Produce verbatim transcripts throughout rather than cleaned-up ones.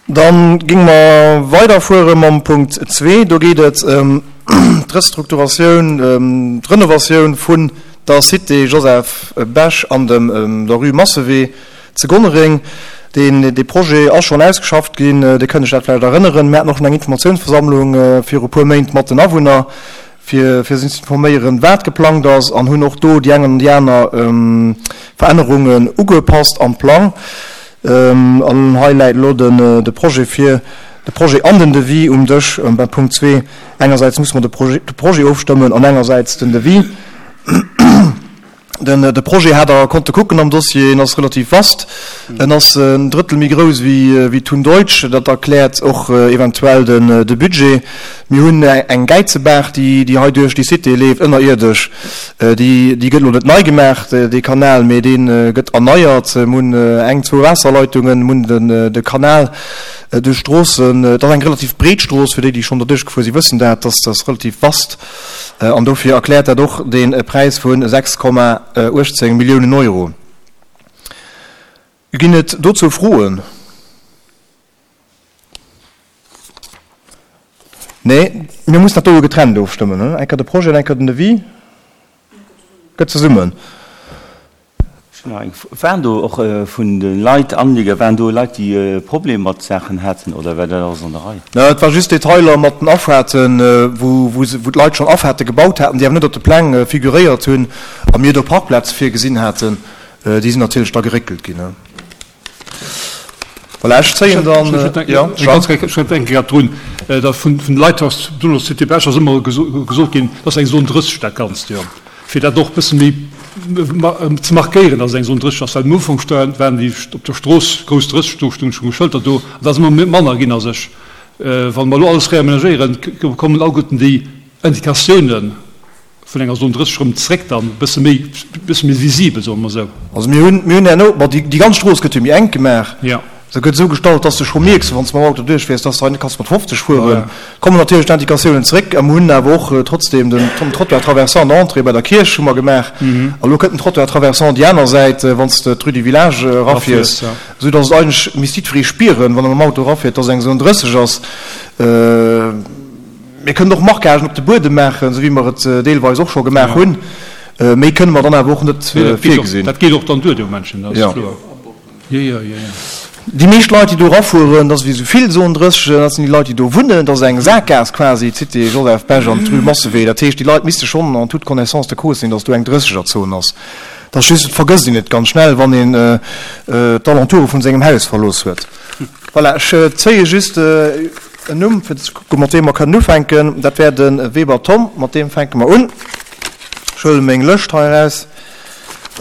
Dann géinge mer weiderfuere mam Punkt zwee. Do geet et ëm d'Restrukturatioun, d'Renovatioun vun der Cité Joseph Bech an dem der Rue Massewee zu Gonnereng. Deen, dee Projet ass schonn ausgeschafft ginn. Dir kënnt Iech dat vläicht erënneren. Mir haten och schonn eng Informatiounsversammlung viru puer Méint mat den Awunner, fir, fir si ze informéieren, wat geplangt ass, an hunn och do déi eng an déi aner Verännerungen ugepasst am Plang. An hei läit elo den, de Projet vir, de Projet an den Devis um Dësch beim Punkt zwee. Engersäits musse mer de Projet, de Projet ofstëmmen an engersäits den Devis. Den, de Projet hat Der konnte kucken am Dossier, en ass relativ vast. En ass en Drëttel méi grouss wéi, wéi d'Thun Deutsch. Dat erkläert och eventuell den, de Budget. Mir hunn eng Gäizebaach, déi, déi hei duerch déi Cité leeft, ënnerierdesch. Déi, déi gëtt elo net nei gemaach, dee Kanal, mee dee gëtt erneiert. Mir hunn eng, zwou Waasserleitungen, mir hunn den, de Kanal duerch d'Stroossen. Et ass eng relativ breet Strooss, fir déi, déi schonn derduerch gefuer sinn, wëssen dat, dass dat relativ vast. An dofir erkläert dat och dee Präis vu sechs Komma uechtzéng Milliounen Euro. Ginn et dozou Froen? Nee, mir mussen dat do jo getrennt ofstëmmen, eng Kéier de Projet an eng Kéier den Devis. Gëtt zesummen. Waren do och vun de Leit Anlieger, waren do Leit, déi Problemer mat Saachen haten, oder war dat alles an der Rei? Et war just Detailer mat den Afahrten, wou d'Leit schonn Afahrte gebaut haten, déi awer net op de Pläng figuréiert hunn a mir do Parkplaze virgesinn haten. Déi sinn natierlech da geréckelt ginn. Voilà, ech zéien dann, jo, Jean. Ech denke grad drun, datt vun de Leit aus, besonnesch Cité Bech, ass ëmmer gesot ginn, dat ass eng Zone drësseg dat Ganzt, jo, fir dat och e bësse méi ze markéieren, datt et eng Zone drësseg ass, well am Ufank waren déi op der Strooss grouss drësseg, do stoung schonn Schëlter do, an dat ass ëmmer manner ginn a sech. Wa mer elo alles reamenagéieren, kommen alleguerten déi Indikatiounen vun enger Zone drësseg erëm zréck dann, e bësse méi, e bësse méi visibel, soe mer esou. Also mir hunn, mir hunn herno, bon, déi, déi ganz Strooss gëtt jo méi enk gemaach. Jo. Se gëtt esou gestallt, dass de scho mierks, wann s de mam Auto duerchfiers, dass de hei net kanns mat fofzeg fueren. Kommen natierlech d'Indikatiounen zréck a mir hunn awer och trotzdem den Trottoir traversant an der Entrée bei der Kierch hu mer gemaach. A lo kënnt den Trottoir traversant déi aner Säit, wann s de d'Rue du Village erafiers, esou dass et eigentlech misst jiddweree spieren, wann e mam Auto erafiert, dass eng Zone drësseg ass. Mir kënnen och Marquagen op de Buedem maachen, esou wéi mer et deelweis och scho gemaach hunn. Méi kënne mer dann awer och net virgesinn. Dat geet och dann duer, de Moment, dat ass kloer. Jo, jo, jo, jo. Déi meescht Leit, déi do erafueren, dat ass wéi esou vill Zone drësseg, dat sinn déi Leit, déi do wunnen. Dat ass eng Saakgaass quasi, d'Cité Joseph Bech an d'Rue Massewee. Dat heescht, déi Leit misste schonn en toute connaissance de cause sinn, datt do eng Drëssegerzon ass. Dat ass just, et vergësst een et ganz schnell, wann een d'Alentoure vun sengem Haus verlooss huet. Voilà, ech zéie just en Numm, fir ze kucken, mat deem mer kënnen ufänken. Dat wär de Weber Tom. Mat deem fänke mer un. Ech huele meng Lëscht hei eraus.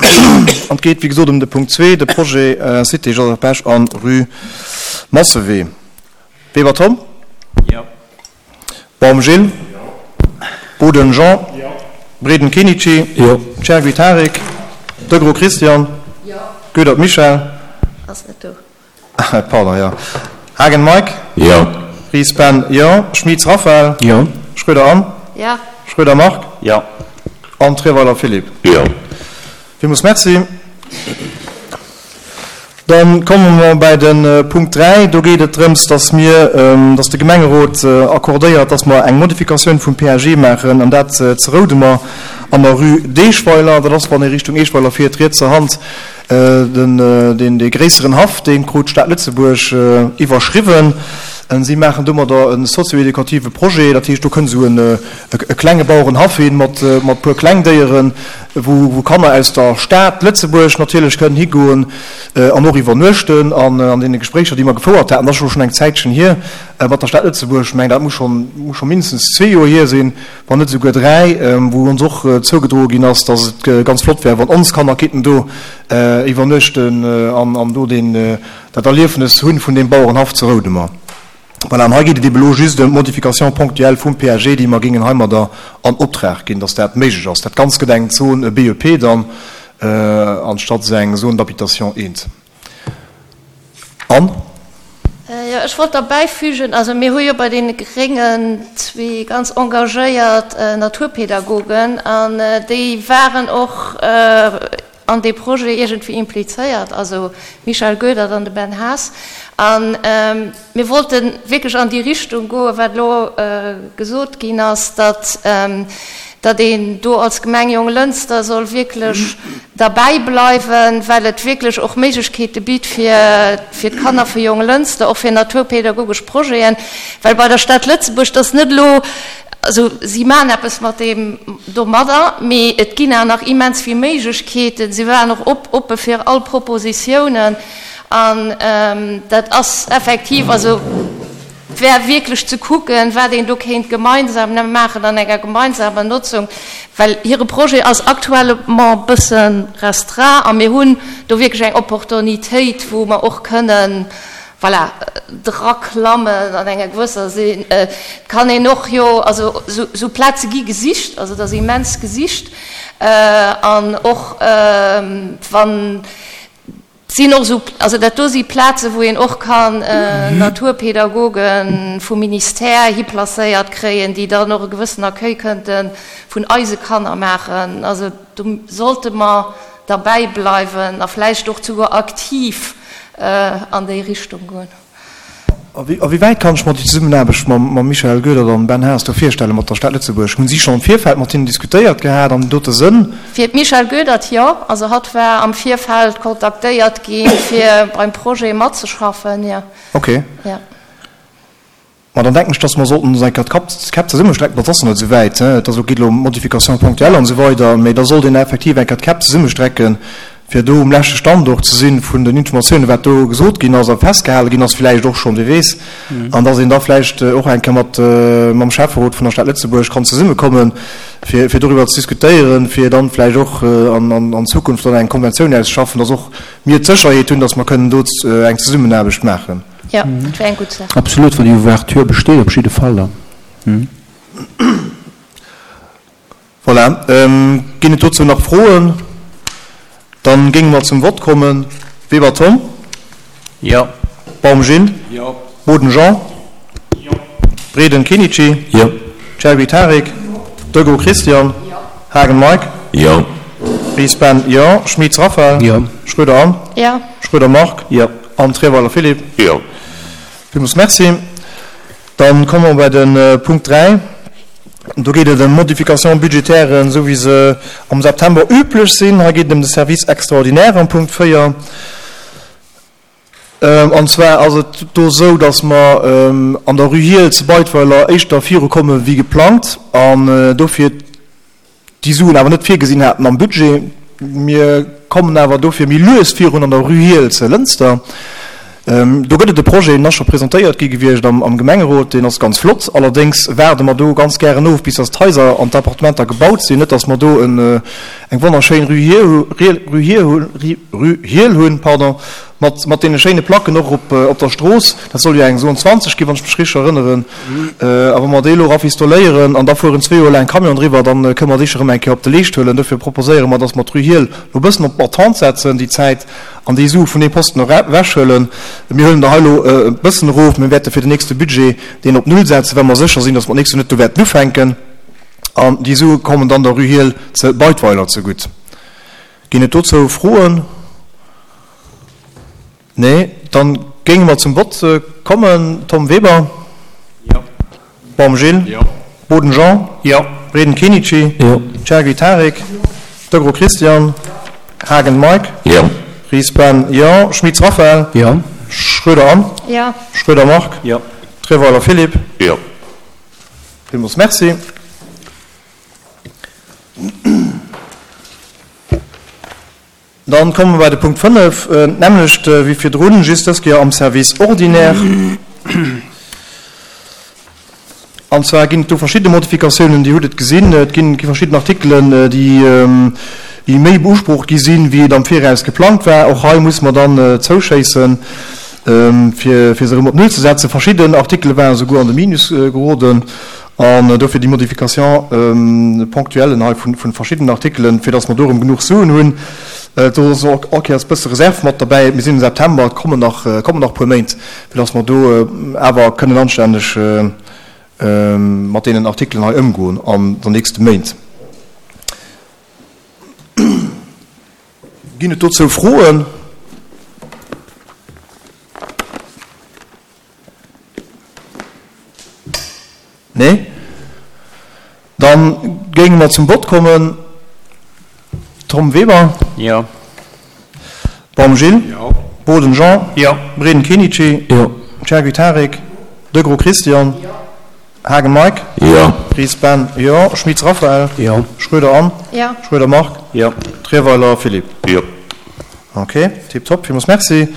An et geet, wéi gesot, ëm de Punkt zwee, de Projet Cité Joseph Bech an Rue Massewee. Weber Tom? Jo. Baum Gilles? Jo. Boden Jean? Jo. Breden Kenichi? Jo. Chergui Tarik? Degros Christian? Jo. Goedert Michèle? Ass net do. Pardon, jo. Haagen Mike? Jo. Ries Ben? Jo. Schmitz Raphaël? Jo. Schroeder Anne? Jo. Schroeder Marc? Jo. An Trierweiler Philippe? Jo. Villmools Merci. Da komme mer bäi de Punkt dräi. Do geet et drëms, dass mir, dass de Gemengerot accordéiert, dass mer eng Modifikatioun vum P A G maachen, an dat zu Roudemer an der Rue d'Eeschweiler. Dat ass, wann ee Richtung Eeschweiler fiert, rietser Hand Den, deen, dee gréisseren Haff, dee krut d'Stad Lëtzebuerg iwwerschriwwen. Si maachen domadder e sozio-educative Projet. Dat heescht, do kënnt esou en, e klenge Bauerenhaff hin, mat, mat puer Klengdéieren, wou, wou Kanner aus der Stad Lëtzebuerg natierlech kënnen higoen an och iwwernuechten. An an deene Gespréicher, déi mer gefouert haten, dat ass elo schonn eng Zäitchen hier, mat der Stad Lëtzebuerg, ech mengen, dat muss schonn, muss scho mindestens zwee Joer hier sinn, wann net esouguer dräi, wou ons och zougedroe ginn ass, dass et ganz flott wär, wann ons Kanner kinnten do iwwernuechten an do deen, dat Erliefnes hunn vun deem Bauerenhaff zu Roudemer. Voilà, an hei geet et ebe lo just ëm d'Modification ponctuelle vum P A G, déi mer géingen heimadder an Optrag ginn, dass dat méiglech ass. Dat Ganzt gëtt eng Zone B E P dann, anstatt eng Zone d'habitation eent. An? Jo, ech wollt derbäifügen, also mir hu jo bei deene Gréngen zwee ganz engagéiert Naturpädagogen an déi waren och an dee Projet iergendwéi implizéiert, also d'Michèle Goedert an de Ben Haas. A mir wollte wierklech an déi Richtung goen, wat elo gesot ginn ass, datt datt een do als Gemeng Jonglënster soll wierklech derbäi bleiwen, well et wierklech och Méiglechkeete bitt fir fir d'Kanner vu Jonglënster, och fir naturpädagogesch Projeten, well bei der Stad Lëtzebuerg, dat ass net elo, also si maachen eppes mat deem domadder, mee et ginn awer nach immens vill Méiglechkeeten. Si waren och op oppe fir all Propositiounen an dat ass effektiv, also et wär wierklech ze kucken, wat een do kéint gemeinsam maachen an enger gemeinsamer Notzung, well hire Projet ass actuellement e bësse restreint a mir hunn do wierklech eng Opportunitéit, wou mer och kënnen, voilà, draklammen an enger gewësser Sinn. Et kann een och jo, also esou Plaze gi gesicht, also et ass immens gesicht an och wann, Et sinn och esou, also dat do si Plazen, wou een och kann Naturpädagoge vum Ministère hiplacéiert kréien, déi dann och e gewëssen Accueil kënnte vun eise Kanner maachen. Also do sollte mer derbäi bleiwen a vläicht och souguer aktiv an déi Richtung goen. A wéi wäit kann ech mer déi Zesummenaarbecht mam Michael Goedert an Ben Haas do virstellen, mat der Stad Lëtzebuerg? Hunn si schonn am Virfeld mat hinnen diskutéiert gehat an dote Sënn? Fir d'Michèle Goedert, jo. Also hatt war am Virfeld kontaktéiert gi fir beim Projet matzeschaffen, jo. Ok. Jo. Ma dann denken ech, dass mer sollten ons eng Kéier d'Käpp zesummestrecken. Dat ass nach net esou wäit, et ass elo, geet elo ëm Modifications ponctuelles an esou weider, mee da sollt een effektiv eng Kéier d'Käpp zesummestrecken, fir do um leschte Stand och ze si vun den Informatiounen, wat do gesot ginn ass a festgehale ginn ass vläicht och schonn, wie weess, an dass een da vläicht och eng Kéier mat mam Schäfferot vun der Stad Lëtzebuerg kann zesummekommen, fir fir doriwwer ze diskutéieren, fir dann vläicht och an an Zukunft dann eng Konventioun auszeschaffen, dass och mir d'Sécherheet hunn, dass mer kënnen do eng Zesummenaarbecht maachen. Jo, dat wär eng gutt Saach. Absolut, wann déi Ouverture besteet, op jidde Fall dann. Voilà. Ginn et dozou nach Froen? Dann géinge mer zum Vott kommen. Weber Tom? Jo. Baum Gilles? Jo. Boden Jean? Jo. Breden Kenichi? Jo. Chergui Tarik? Jo. Degraux Christian? Jo. Haagen Mike? Jo. Ries Ben? Jo. Schmitz Raphaël? Jo. Schroeder Anne? Jo. Schroeder Marc? Jo. An Trierweiler Philippe? Jo. Villmools Merci. Dann komme mer bei de Punkt dräi. Do geet et ëm Modifications budgétairen, esou wéi se am September üblech sinn. Hei geet et ëm de Service extraordinaire am Punkt véier. An zwar ass et do esou, datt mer an der Rue Hiehl zu Beidweiler éischter virukomme wéi geplangt an dofir déi Suen awer net virgesinn haten am Budget. Mir kommen awer dofir méi lues virun an der Rue Hiehl ze Lënster. Do gëtt et e Projet, deen ass scho presentéiert gi gewiescht am Gemengerot, deen ass ganz flott. Allerdéngs waarde mer do ganz gären of, bis dass d'Haiser an d'Appartementer gebaut sinn, net dass mer do eng wonnerschéin Rue Hiehl hunn, pardon, Mat, mat deene schéine Placken och op, op der Strooss. Dat soll jo eng Zone zwanzeg ginn, wann ech mech richteg erënneren. A wa mer déi elo rafistoléieren an da fueren zwee Joer laang Camion driwwer, dann kënne mer déi scho rëm eng Kéier op de Leescht huelen. Dofir proposéiere mer, dass mer d'Rue Hiehl elo e bëssen op Attente setzen déi Zäit an déi Sue vun deem Posten ewechhuelen. Mir huelen der hei elo e bëssen erof. Mir wäerte fir den nächste Budget deen op Null setzen, well mer sécher sinn, dass mer d'nächst Joer net do wäerten ufänken. An déi Sue kommen dann der Rue Hiehl ze Beidweiler zegutt. Ginn et dozou Froen? Nee, dann géinge mer zum Vott kommen. Tom Weber? Jo. Baum Gilles? Jo. Boden Jean? Jo. Breden Kenichi? Jo. Chergui Tarik? Jo. Degraux Christian? Jo. Haagen Mike? Jo. Ries Ben? Jo. Schmitz Raphaël? Jo. Schroeder Anne? Jo. Schroeder Marc? Jo. Trierweiler Philippe? Jo. Villmools Merci. Dann komme mer bei de Punkt fënnef, d'nämmlecht wéi virdrun, just dës Kéier am Service ordinaire. An zwar ginn et do verschidde Modifikatiounen, Dir hutt et gesinn, et ginn verschidden Artikelen, déi méi beusprocht gi sinn, wéi et am Viraus geplangt war. Och hei musse mer dann zouschéissen, fir se erëm op Null ze setzen. Verschidden Artikele waren esouguer an de Minus geroden. An dofir déi Modification ponctuelle hei vu verschiddenen Artikelen, fir dass mer do erëm genuch Suen hunn. Do ass och all Kéiers e bësse Reserv mat derbäi. Mir sinn am September, et kommen nach, kommen nach e puer Méint, fir dass mer do awer kënnen anstänneg mat deenen Artikelen hei ëmgoen an den nächste Méint. Ginn et dozou Froen? Nee? Dann géinge mer zum Vott kommen. Tom Weber? Jo. Baum Gilles? Jo. Boden Jean? Jo. Breden Kenichi? Jo. Chergui Tarik? Degros Christian? Jo. Haagen Mike? Jo. Ries Ben? Jo. Schmitz Raphaël? Jo. Schroeder Anne? Jo. Schroeder Marc? Jo. Trierweiler Philippe? Jo. Ok, tiptop, villmools Merci.